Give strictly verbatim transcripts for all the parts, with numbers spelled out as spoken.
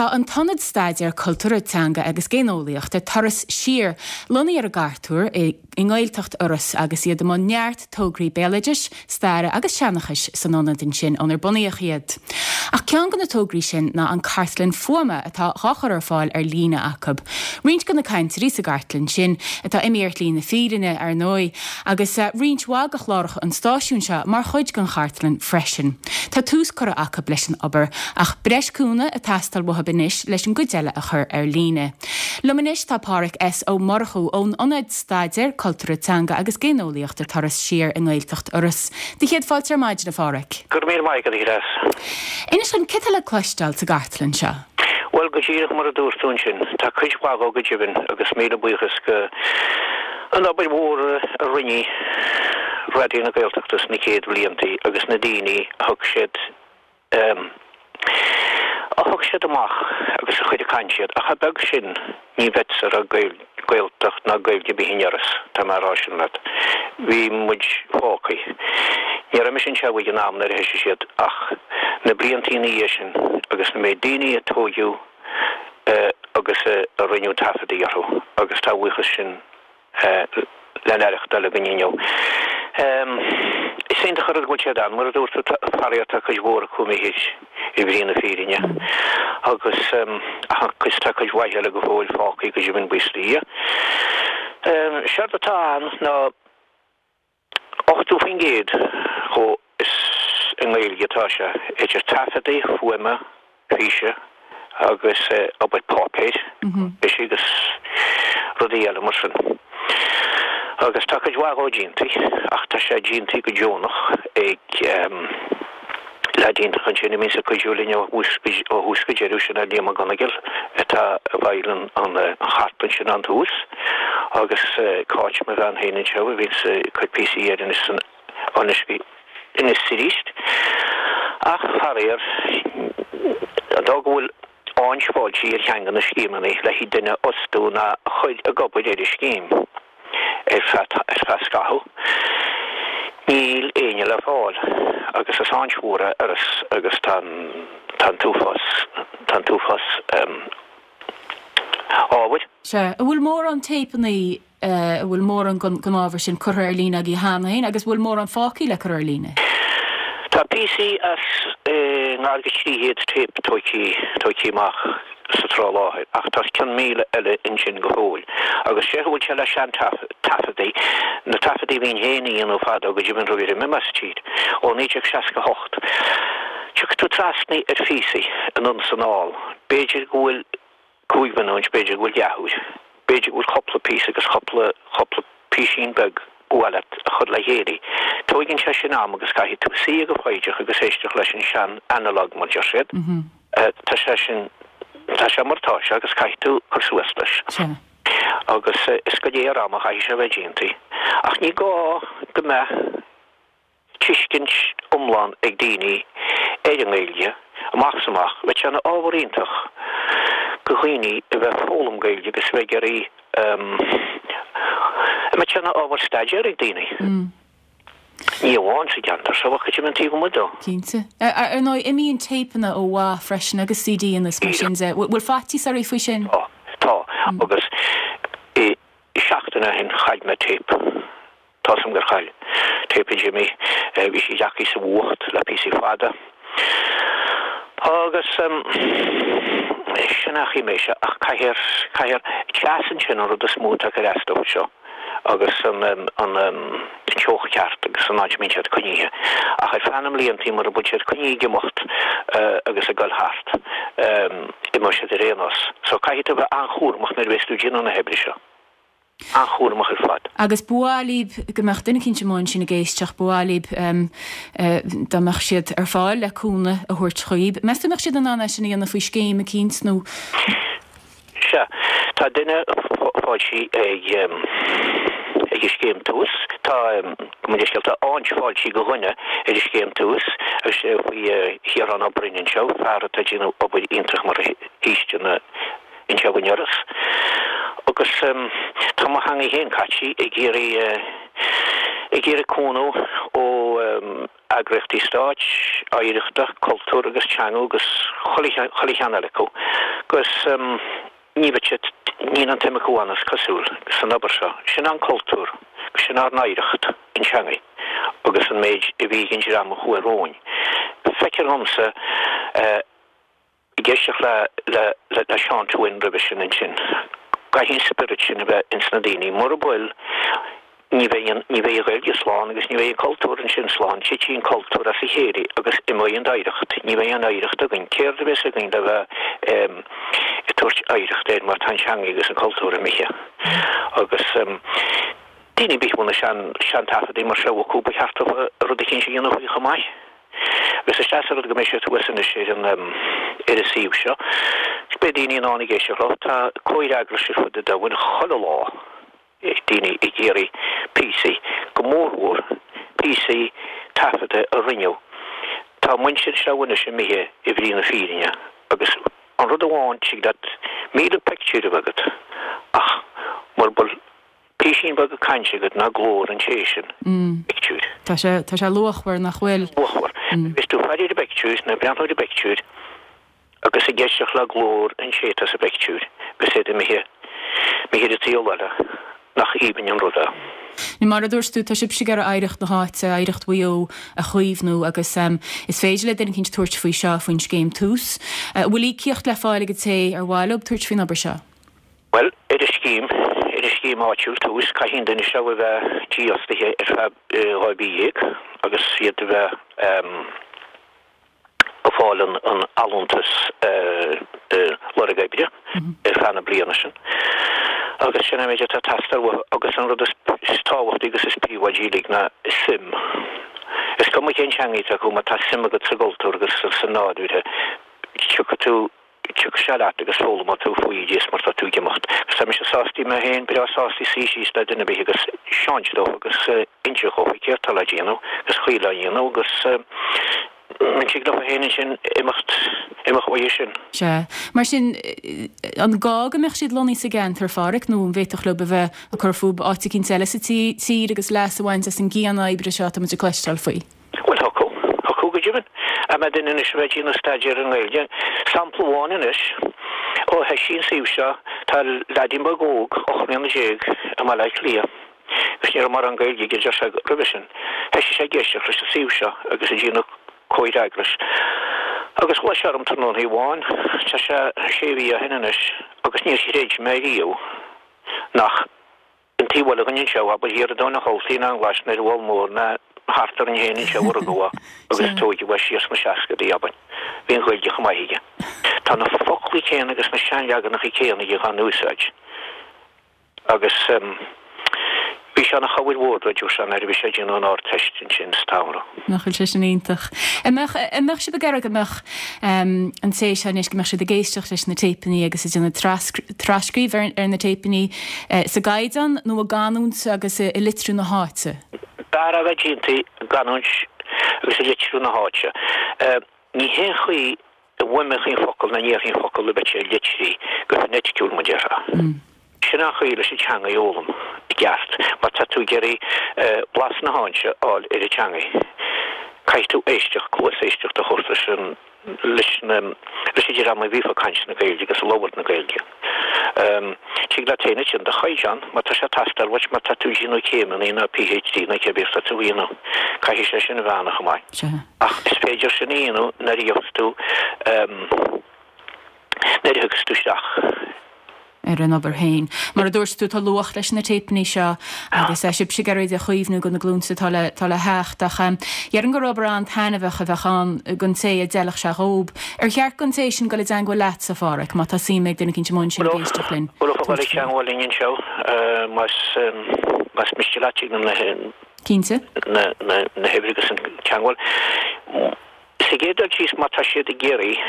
Tá an tIonad Staidéar Cultúrtha Teanga agus Géineolaíochta Turas Siar lonnaithe ar an gCartúr i i nGaeltacht Iorrais agus iad i mbun neart tograí béaloidis, staire agus seanchais san ionad ansin ónar bunaíodh iad. Ach ceann de na tograí sin ná an cartlann fuaime atá á chur ar fáil ar líne acu. Roinnt de na cainteoirí sa gcartlann sin atá imithe ar shlí na fírinne ar ndóigh, agus eh, roinnt mhaith de chláracha an stáisiúin seo mar chuid den chartlann freisin. Tá tús curtha acu leis an obair ach breis cúnamh ag teastáil uathu anois leis an gcuid eile a chur ar líne. Liom anois tá Páraic S Ó Murchú ón Ionad Staidéar Cultúrtha Teanga agus Géineolaíochta Turas Siar i nGaeltacht Iorrais. Tá céad fáilte ar maidin a Pháraic. Gur mí maith go gas. Inis dom cad tá le cloisteáil sa gcartlann seo. Well go díreach mar a dúirt tú ansin, tá cuid mhaith go deimhin agus míle buíochas go an obair mhór a rinne Raidió na Gaeltachta sna céad bhlianta agus na daoine a thug siad um, a thug siad amach agus a chuid a caint siad ach a beag sin ní bheadh ar a Gaeltacht ná Gaeilge bith in Iorras tá mar sin leat. Bhí muid fágtha. Ní raibh sin se an am a thosaigh siad ach na blianta ina dhiaidh sin agus na méid daoine a tógadh uh, agus uh, a rinneadh taifeadtaí orthu agus tá buíochas sin uh, le n-aireachtáil go inniu. Um, is é chur go sé an mar dúirt faraor cuid mhór acu imithe i bhrí na fírinne agus um, agus tá cuid mhaith eile go fóill fágtha go deimhin buíochas le Dia. Um, Séard atá ann ná ochtó faoin gcéad chomh is i nGaeilge atá sé idir taifeadtaí fuaime físe agus uh, obair páipéir mm -hmm. is agus rudaí eile mar sin. Agus tá cuid mhaith déanta ach tá sé déanta go deonach ag um, le déanta chun sin mí cuidiú linn ó thús go deireadh sin a Liam Gonagil atá a bhil an an chartlann sin an tús agus Cáit mo bhean féin seo a bhíonn chuid píosaí ar an inis arís. Ach faraor dá go bhfuil áint fáilte ar cheann de na scéimeanna le haghaidh duine a fhostú ná a chur ag obair ar an scéim ar feadh scaitheamh. Níl éinne le fáil agus is áint mhór agus agus tá tá t-uafás tá t-uafás ábhair. Se, an bhfuil mórán téipeanna a bhfuil mórán den ábhar sin curtha ar líne agaibh cheana féin agus bhfuil mórán fágtha le cur ar líne. Tá píosaí as gar go trí chéad téip tógtha amach sa tráth láthair ach tá cionn míle eile ansin go fóill. Agus sé bhfuil sé le sean taifeadtaí na taifeadtaí bhín héana nó fadó go dtí an roimh me tíd ó naoi déag seasca hocht. Tiocfaidh tú trasna ar phíosaí anonn is anall, B'fhéidir go bhfuil cúig mhionúint b'fhéidir go bhfuil leathuair. B'fhéidir go bhfuil cúpla píosa agus cúpla cúpla píosín beag bualadh a chur le chéile. Tógann sé sin am agus caithfidh tú suí go foighdeach agus éisteacht leis an sean analog mar deir siad. Mm -hmm. uh, tá sé sin tá sé mar tá sé agus caithfidh tú cur suas leis. Agus uh, is go léir am a chaithfidh sé bheith déanta. Ach ní gá go mbeadh tuiscint iomlán ag daoine ar an nGaeilge amach is amach, bheadh sé ina ábhar iontach go dhaoine a bheith foghlaim Gaeilge agus bheith ag iarraidh um, mbeadh sé ina ábhar staidéir ag daoine. Mm. Ní amháin sa gceantar seo ach go taobh amuigh de. Cinnte. Ar ndóigh imíonn téipeanna ó mhaith freisin agus CDanna mar sin de. Bhfuil faitíos oraibh faoi sin? Tá tá agus i seachtain ó shin chaill mé téip. Tá sam gur chaill téip Jimmy bhí sí deacaí sa bhuacht le píosaí fada. Agus um, sin achaí mé se ach caithfear caithfear teas sin an rud is mó atá ag teastáil seo. agus an um, an um, teocht cheart agus an áit a mbíonn siad coinnithe. Ach ar feadh na mblianta mar a bhfuil siad coinnithe ag imeacht uh, agus ag dul thart um, imeoidh siad ar aon nós. So caithfidh tú bheith an-chúramach nuair a bheas tú ag déanamh na hoibre seo. An-chúramach ar fad. Agus ba mhaith libh go mbeadh duine éicint amuigh ansin ag éisteacht ba mhaith libh um, uh, dá mbeadh siad ar fáil le cúnamh a thabhairt chugaibh. Meas tú mbeadh siad in ann é sin a dhéanamh faoi scéim eicínt nó Se tá duine fáilte ag um, ag an scéim Tús tá um, tá áint fáilte go dhuine ar an scéim Tús agus sé faoi Chiarán Ó Broin seo fear atá ag déanamh obair iontach mar shaoiste na anseo in Iorras. Agus um, tá mo theanga féin caite ag iarraidh uh, ag iarraidh cúnamh ó um, eagraíochtaí stáit, oidhreachta, cultúr agus teanga agus chuile cheann eile acu agus ní bheadh siad, níl an tsuim acu ann is cosúil, san obair seo. Sin an cultúr, sin ár n-oidhreacht, an teangaidh agus an méid a bhí ag an dream a chuaigh romhainn. Feictear dhomsa ag éisteacht le le Seán Twin roimhe sin ansin, caithfidh an spiorad sin a bheith ins na daoine. Mura bhfuil, ní bheidh an, ní bheidh an Ghaeilge slán agus ní bheidh an cultúr ansin slán. Titfidh an cultúr as a chéile agus imeoidh an oidhreacht. Ní bheidh aon oidhreacht againn. Céard a bheas againn le bheith ag tabhairt oidhreacht air má tá an teanga agus an cultúr imithe? Agus daoine ar bith a bhfuil na sean, seantaifeadaí mar seo acu, ba cheart dóibh rud eicínt a dhéanamh faoi chomh maith. Agus is deas an rud go mbeidh sé thuas anois ar an, ar an suíomh seo. Beidh daoine in ann ag éisteacht leo. Tá comhfhreagras ar fud an domhain chuile lá. daoine ag iarraidh píosaí, go mórmhór píosaí taifeadta a rinneadh. Tá muintir seo anois imithe i bhrí na fírinne agus an rud amháin, tig leat míle pictiúr a bheith agat ach mura bhfuil písín beag cainte agat ná glór an té sin pictiúir. Tá sé, tá sé luachmhar, nach bhfuil? Luachmhar. Is tú ag faire ar an bpictiúr nó ag breathnú ar an bpictiúr agus ag éisteacht le glór an té atá sa bpictiúr agus iad imithe, imithe ar an tsaol eile, nach aoibhinn an rud é. Mar a dúirt tú, tá sibhse ag iarraidh oidhreacht na háite, oidhreacht Mhaigh Eo a chaomhnú agus is féidir le duine eicínt tabhairt faoi seo faoin scéim Tús. An bhfuil íocaíocht le fáil ag an té ar mhaith leo tabhairt faoin obair seo? Bhuel, ar an scéim, ar an scéim áitiúil Tús, caithfidh an duine seo a bheith dífhostaithe ar feadh dhá mhí dhéag agus iad a bheith ag fáil an allúntas lorg oibre ar feadh na bliana sin. Agus sin an méid atá ag teastáil uathu agus an rud is tábhachtaí agus is príobháidí uilig ná suim. Is cuma cén teanga atá acu, má tá suim agat sa gcultúr agus sa nádúr, tiocfaidh tú, tiocfaidh sé leat agus foghlaimeoidh tú faoi is mar tá tú ag imeacht. Agus tá mise sásta, mé féin, breá sásta suí síos le duine ar bith agus seáint dóibh agus inse dhóibh céard tá le déanamh agus chaoi le dhéanamh agus Tig leo féin ansin imeacht, imeacht uaidh sin. Sea. Mar sin, an gá go mbeadh siad lonnaithe sa gceantar, a Pháraic, nó an bhféadfadh leo a bheith ag cur fúthu áit eicínt eile sa tír agus leas a bhaint as an gcian-oibre seo atá muid ag cloisteáil faoi? Bhuel, thiocfadh. Thiocfadh go deimhin. Dá mbeadh duine anois a bheith ag déanamh staidéar ar an nGaeilge. Sampla amháin anois, ó thoisigh an suíomh seo, tá leaidín beag óg, ocht mbliana déag, i mBaile Átha Cliath, agus ní raibh mórán Gaeilge aige, deir sé, roimhe sin. Thoisigh sé ag éisteacht leis an suíomh seo agus ag déanamh comhfhreagrais. Agus ghlaoigh sé orm tráthnóna amháin, tá sé sé mhí ó shin anois, agus níor chreid mé riamh nach an taobh eile dhúinn anseo, abair thiar i dTóin an Choltaí ná an Ghlais ná ar an bhFál Mór ná thart orainn féin anseo a rugadh é agus a tóigeadh é siar sna seascadaí, abair. Bhí an Ghaeilge chomh maith aige. Tá na foclaí céanna agus na seanleaganacha céanna aige dhá n-úsáid. Agus bhí sé ina chabhair mhór dó, dúirt sé, nuair a bhí sé ag déanamh an Ardteist ansin sa tsamhradh. Nach bhfuil sé sin iontach. An mbeadh, an mbeadh sibh ag iarraidh go mbeadh an té seo anois, go mbeadh siad ag éisteacht leis na téipeanna agus ag déanamh tras-trascríobh ar, ar na téipeanna sa gcaighdeán nó i gcanúint agus i litriú na háite? B'fhearr a bheith déanta i gcanúint agus i litriú na háite. Ní haon chaoi a bhfuaimneofaí an focal ná a ndéarfaí an focal a bheadh sé litrithe go foinéiticiúil mar a déarfá. Sin an chaoi leis an teanga a fhoghlaim i gceart. Má tá tú ag iarraidh blas na háite a fháil ar an teangaidh, caithfidh tú éisteacht, cluas éisteachta a thabhairt leis an leis na leis an dream a bhíodh ag caint na Gaeilge agus ag labhairt na Gaeilge. Tig leat féin ansin do chaighdeán, má tá sé ag teastáil uait, má tá tú ag déanamh céimeanna nó PhD nó cébí atá tú a dhéanamh, caithfidh sé sin a bheith ann chomh maith. Ach is féidir sin a dhéanamh nuair a gheobhas tú nuair a thiocfas tú isteach. ar an obair féin. Mar a dúirt tú, tá luach leis na téipeanna seo agus sibhse ag iarraidh iad a chaomhnú do na glúnta atá le atá le theacht ach déarfainn gur obair an-taitneamhach a bheadh ann don té a d'fheilfeadh sé dhób. Ar cheart don té sin dul i dteangmháil leatsa, a Pháraic, má tá suim ag duine eicínt amuigh ansin ag éisteacht linn? Bhuel, dul i dteangmháil linn anseo más más miste leat tig na Cinnte. na na na huimhir agus an teangmháil. Sa gcéad dul síos má tá siad ag iarraidh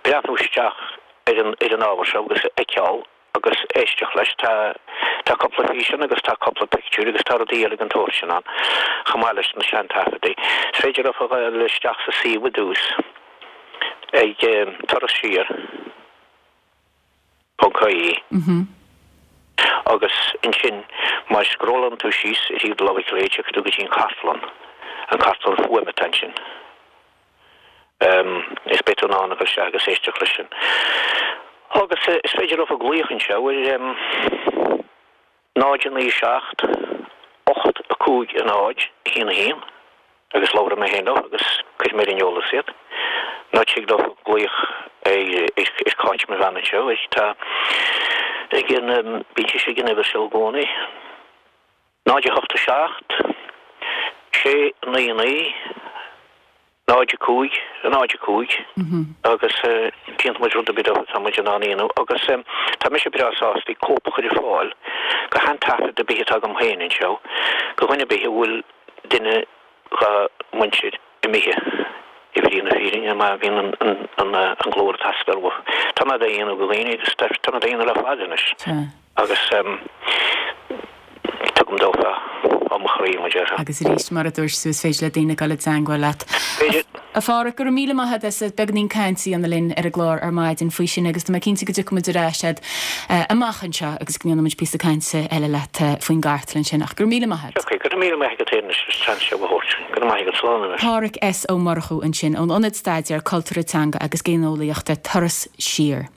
breathnú isteach ar an ar an ábhar seo agus a fheiceáil agus éisteacht leis. Tá tá cúpla físeán agus tá cúpla pictiúr agus tá rudaí eile den tsórt sin ann, chomh maith leis na seantaifeadaí. Is féidir leo a ghabháil isteach sa suíomh i dtús ag Turas Siar ponc ie agus ansin má scrollann tú síos ar thaobh do láimhe clé tiocfaidh tú go dtí an chartlann an cartlann fuaime atá ansin. Is beidh tú in ann a dhul isteach agus éisteacht leis sin. Agus is féidir leo glaoch anseo ar náid naoi seacht ocht a cúig a náid a haon a haon agus labhróidh mé féin leo agus cuirfidh mé ar an eolas iad. Nó tig leo glaoch ar Cáit mo bhean anseo tá ag an bíonn sí ag an uimhir seo i gcónaí. Náid a hocht a seacht sé naoi naoi náid a cúig náid a cúig agus déanfaidh muid rud ar bith atá muid in ann a dhéanamh agus tá mise breá sásta cóip a chur ar fáil de aon taifead ar bith atá agam féin anseo do dhuine ar bith a bhfuil duine dá mhuintir imithe i bhrí na fírinne má bhíonn an an glór ag teastáil uathu. Tá mé á dhéanamh do dhaoine agus tá mé á dhéanamh le fada anois agus tugaim dófa ó mo chroí mar déarfá. Agus arís mar a dúirt tú is féidir le daoine dul i dteagmháil leat. A Pháraic go raibh míle maith agat as beagáinín cainte a dhéanamh linn ar an gclár ar maidin faoi sin agus tá mé cinnte go dtiocfaidh muid ar ais agat amach anseo agus go ndéanfaidh muid píosa cainte eile leat faoin gcartlann sin ach go raibh míle maith agat. Ok, go raibh míle maith agat féin as an seans seo a thabhairt. Go raibh maith agat slán anois. Páraic S. Ó Murchú ansin ón Ionad Staidéar Cultúrtha Teanga agus Géineolaíochta Turas Siar.